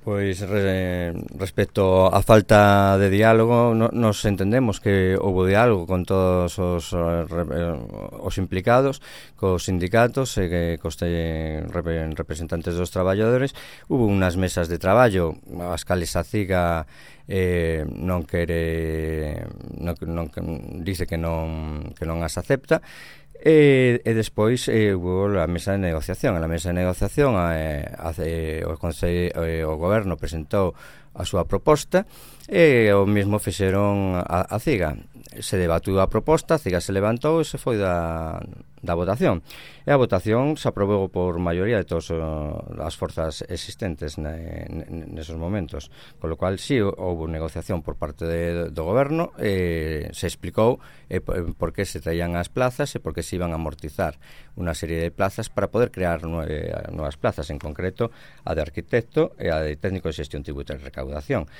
Pois respecto á falta de diálogo, nos entendemos que houve diálogo con todos os implicados, cos sindicatos e cos representantes dos traballadores. Hubo unhas mesas de traballo as cales a CIGA dice que non as acepta. E despois hubo a mesa de negociación. A mesa de negociación o goberno presentou a súa proposta e o mesmo fixeron a CIGA. Se debatiu a proposta, a CIGA se levantou e se foi da votación. E a votación se aprobou por maioría de todas as forzas existentes nesos momentos. Con lo cual, sí, houve negociación por parte do goberno, se explicou por que se traían as plazas e por que se iban a amortizar unha serie de plazas para poder crear novas plazas, en concreto a de arquitecto e a de técnico de xestión tributaria e recaudación.